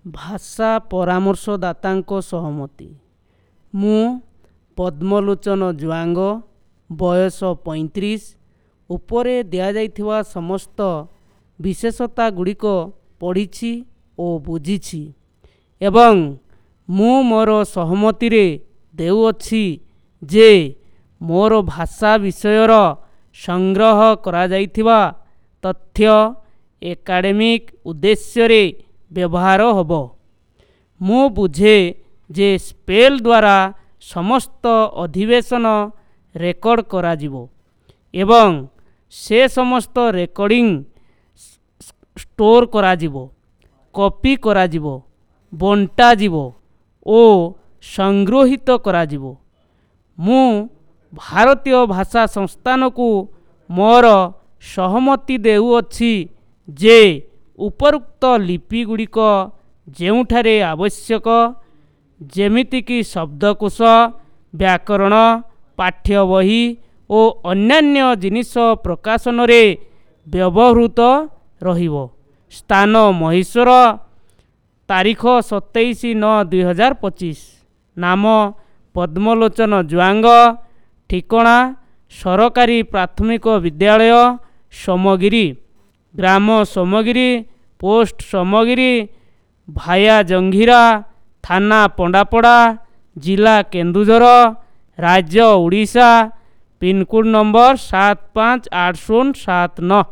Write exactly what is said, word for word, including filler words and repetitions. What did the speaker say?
ଭାଷା ପରାମର୍ଶଦାତାଙ୍କ ସହମତି। ମୁଁ ପଦ୍ମଲୋଚନ ଜୁଆଙ୍ଗ, ବୟସ ପଇଁତିରିଶ, ଉପରେ ଦିଆଯାଇଥିବା ସମସ୍ତ ବିଶେଷତା ଗୁଡ଼ିକ ପଢ଼ିଛି ଓ ବୁଝିଛି ଏବଂ ମୁଁ ମୋର ସହମତିରେ ଦେଉଅଛି ଯେ ମୋର ଭାଷା ବିଷୟର ସଂଗ୍ରହ କରାଯାଇଥିବା ତଥ୍ୟ ଏକାଡେମିକ୍ ଉଦ୍ଦେଶ୍ୟରେ ବ୍ୟବହାର ହେବ। ମୁଁ ବୁଝେ ଯେ ସ୍ପେଲ୍ ଦ୍ୱାରା ସମସ୍ତ ଅଧିବେଶନ ରେକର୍ଡ଼ କରାଯିବ ଏବଂ ସେ ସମସ୍ତ ରେକର୍ଡ଼ିଂ ଷ୍ଟୋର କରାଯିବ, କପି କରାଯିବ, ବଣ୍ଟାଯିବ ଓ ସଂଗୃହୀତ କରାଯିବ। ମୁଁ ଭାରତୀୟ ଭାଷା ସଂସ୍ଥାନକୁ ମୋର ସହମତି ଦେଉଅଛି ଯେ ଉପରୋକ୍ତ ଲିପିଗୁଡ଼ିକ ଯେଉଁଠାରେ ଆବଶ୍ୟକ, ଯେମିତିକି ଶବ୍ଦକୋଷ, ବ୍ୟାକରଣ, ପାଠ୍ୟବହି ଓ ଅନ୍ୟାନ୍ୟ ଜିନିଷ ପ୍ରକାଶନରେ ବ୍ୟବହୃତ ରହିବ। ସ୍ଥାନ ମହୀଶୂର, ତାରିଖ ସତେଇଶ ନଅ ଦୁଇହଜାର ପଚିଶ। ନାମ ପଦ୍ମଲୋଚନ ଜୁଆଙ୍ଗ, ଠିକଣା ସରକାରୀ ପ୍ରାଥମିକ ବିଦ୍ୟାଳୟ ସୋମଗିରି, ଗ୍ରାମ ସୋମଗିରି, ପୋଷ୍ଟ ସୋମଗିରି, ଭାୟା ଜଙ୍ଘିରା, ଥାନା ପଣ୍ଡାପଡ଼ା, ଜିଲ୍ଲା କେନ୍ଦୁଝର, ରାଜ୍ୟ ଓଡ଼ିଶା, ପିନ୍କୋଡ଼୍ ନମ୍ବର ସାତ ପାଞ୍ଚ ଆଠ ଶୂନ ସାତ ନଅ।